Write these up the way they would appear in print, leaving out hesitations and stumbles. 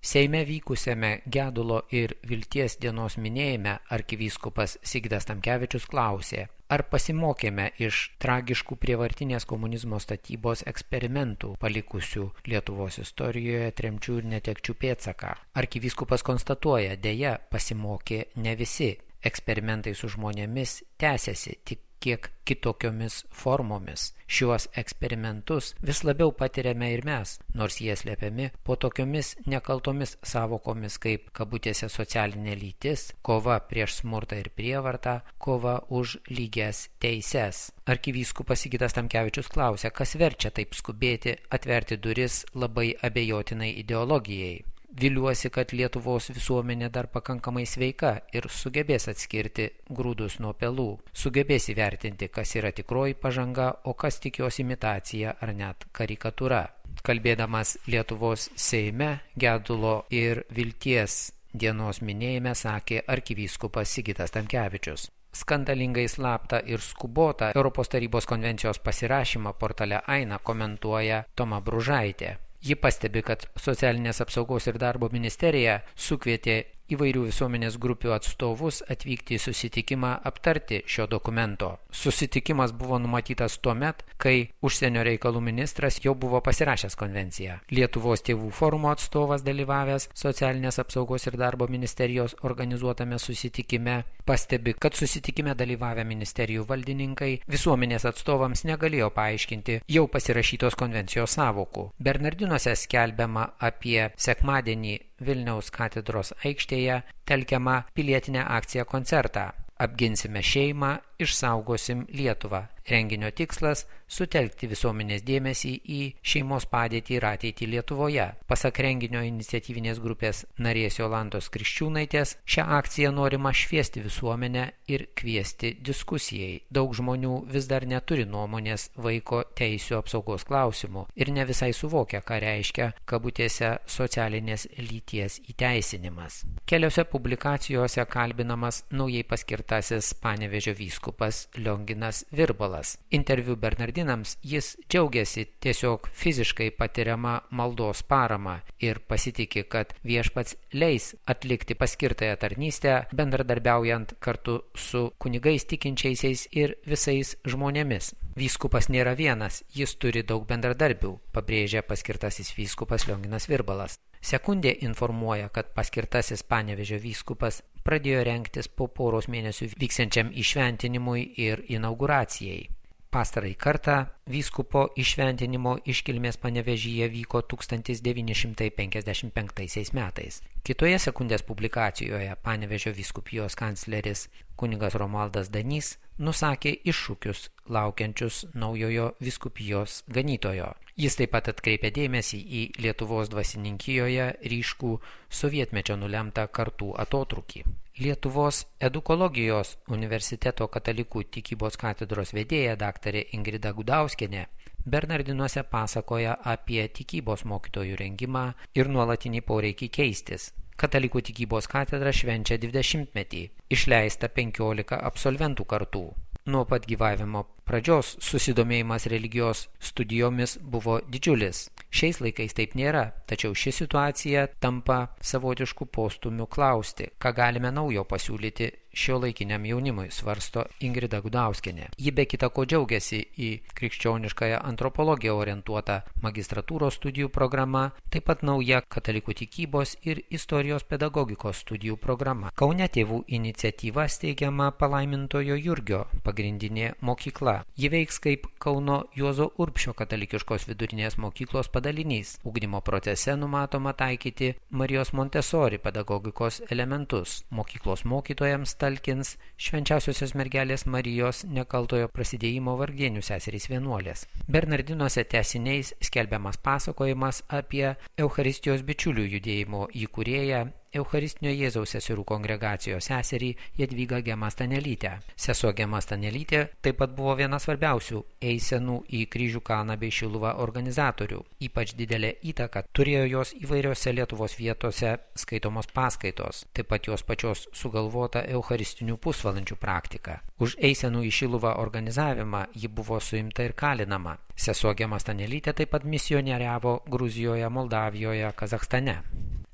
Seime vykusiame Gedulo ir Vilties dienos minėjime arkivyskupas Sigitas Tamkevičius klausė, ar pasimokėme iš tragiškų prievartinės komunizmo statybos eksperimentų palikusių Lietuvos istorijoje tremčių ir netekčių pėdsaką. Arkivyskupas konstatuoja, deja, pasimokė ne visi. Eksperimentai su žmonėmis tęsiasi tik kiek kitokiomis formomis. Šiuos eksperimentus vis labiau patiriame ir mes, nors jie slepiami po tokiomis nekaltomis savokomis kaip kabutėse socialinė lytis, kova prieš smurtą ir prievartą, kova už lygias teises. Arkivyskupas Sigitas Tamkevičius klausia, kas verčia taip skubėti atverti duris labai abejotinai ideologijai. Viliuosi, kad Lietuvos visuomenė dar pakankamai sveika ir sugebės atskirti grūdus nuo pelų, sugebės įvertinti, kas yra tikroji pažanga, o kas tik jos imitacija ar net karikatūra. Kalbėdamas Lietuvos Seime, Gedulo ir Vilties dienos minėjime sakė arkivyskupas Sigitas Tamkevičius. Skandalingai slaptą ir skubotą Europos tarybos konvencijos pasirašymą portale Aina komentuoja Toma Bružaitė. Ji pastebi, kad Socialinės apsaugos ir darbo ministerija sukvietė įvairių visuomenės grupių atstovus atvykti į susitikimą aptarti šio dokumento. Susitikimas buvo numatytas tuomet, kai užsienio reikalų ministras jau buvo pasirašęs konvenciją. Lietuvos tėvų forumo atstovas dalyvavęs Socialinės apsaugos ir darbo ministerijos organizuotame susitikime pastebi, kad susitikime dalyvavę ministerijų valdininkai visuomenės atstovams negalėjo paaiškinti jau pasirašytos konvencijos sąvokų. Bernardinuose skelbiama apie sekmadienį Vilniaus katedros aikštėje telkiamą pilietinę akciją koncertą. Apginsime šeimą, išsaugosim Lietuvą. Renginio tikslas – sutelkti visuomenės dėmesį į šeimos padėtį ir ateitį Lietuvoje. Pasak renginio iniciatyvinės grupės narės Jolantos Kriščiūnaitės, šią akciją norima šviesti visuomenę ir kviesti diskusijai. Daug žmonių vis dar neturi nuomonės vaiko teisių apsaugos klausimų ir ne visai suvokia, ką reiškia kabutėse socialinės lyties įteisinimas. Keliose publikacijose kalbinamas naujai paskirtasis Panevėžio vyskupas Lionginas Virbalas. Interviu Bernardinams jis džiaugiasi tiesiog fiziškai patiriama maldos parama ir pasitiki, kad viešpats leis atlikti paskirtąją tarnystę, bendradarbiaujant kartu su kunigais tikinčiaisiais ir visais žmonėmis. Vyskupas nėra vienas, jis turi daug bendradarbių, pabrėžia paskirtasis vyskupas Lionginas Virbalas. Sekundė informuoja, kad paskirtasis Panevėžio vyskupas pradėjo rengtis po poros mėnesių vyksiančiam įšventinimui ir inauguracijai. Pastarąjį kartą vyskupo įšventinimo iškilmės Panevėžyje vyko 1955 metais. Kitoje sekundės publikacijoje Panevėžio vyskupijos kancleris kunigas Romualdas Danys nusakė iššūkius laukiančius naujojo vyskupijos ganytojo. Jis taip pat atkreipė dėmesį į Lietuvos dvasininkijoje ryškų sovietmečio nulemtą kartų atotrūkį. Lietuvos edukologijos universiteto katalikų tikybos katedros vedėja daktarė Ingrida Gudauskienė Bernardinuose pasakoja apie tikybos mokytojų rengimą ir nuolatinį poreikį keistis. Katalikų tikybos katedra švenčia 20-metį, išleista 15 absolventų kartų. Nuo pat gyvavimo pradžios susidomėjimas religijos studijomis buvo didžiulis. Šiais laikais taip nėra, tačiau ši situacija tampa savotiškų postūmių klausti, ką galime naujo pasiūlyti šiuolaikiniam jaunimui, svarsto Ingrida Gudauskienė. Ji be kita ko džiaugiasi į krikščioniškąją antropologiją orientuotą magistratūros studijų programą, taip pat nauja katalikų tikybos ir istorijos pedagogikos studijų programa. Kaune tėvų iniciatyva steigiama Palaimintojo Jurgio pagrindinė mokykla. Ji veiks kaip Kauno Juozo Urbšio katalikiškos vidurinės mokyklos padalinys. Ugdymo procese numatoma taikyti Marijos Montesori pedagogikos elementus. Mokyklos mokytojams talkins Švenčiausiosios mergelės Marijos nekaltojo prasidėjimo vargdienių seserys vienuolės. Bernardinuose tęsiniais skelbiamas pasakojimas apie Eucharistijos bičiulių judėjimo įkūrėją Eucharistinio Jėzaus seserų kongregacijos seserį Jadvygą Gemą Stanelytę. Sesuo Gema Stanelytė taip pat buvo viena svarbiausių eisenų į Kryžių kalną bei Šiluvą organizatorių. Ypač didelę įtaką turėjo jos įvairiose Lietuvos vietose skaitomos paskaitos, taip pat jos pačios sugalvota eucharistinių pusvalandžių praktika. Už eisenų į Šiluvą organizavimą ji buvo suimta ir kalinama. Sesuo Gema Stanelytė taip pat misionieriavo Gruzijoje, Moldavijoje, Kazachstane.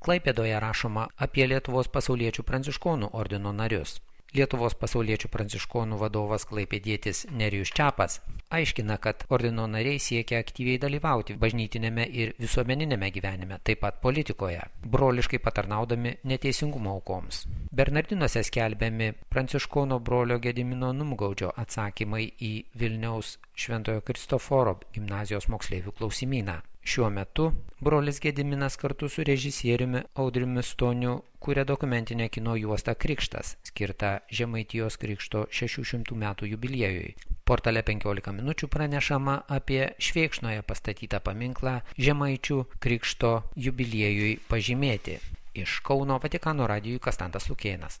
Klaipėdoje rašoma apie Lietuvos pasauliečių pranciškonų ordino narius. Lietuvos pasauliečių pranciškonų vadovas klaipėdietis Nerijus Čepas aiškina, kad ordino nariai siekia aktyviai dalyvauti bažnytinėme ir visuomeninėme gyvenime, taip pat politikoje, broliškai patarnaudami neteisingumo aukoms. Bernardinuose skelbiami pranciškono brolio Gedimino Numgaudžio atsakymai į Vilniaus Šventojo Kristoforo gimnazijos moksleivių klausimyną. Šiuo metu brolis Gediminas kartu su režisieriumi Audriumi Stoniu kuria dokumentinę kino juostą Krikštas, skirtą Žemaitijos Krikšto 600 metų jubiliejui. Portale 15 minučių pranešama apie Švėkšnoje pastatytą paminklą Žemaičių Krikšto jubiliejui pažymėti. Iš Kauno Vatikano radijui Kastantas Lukėnas.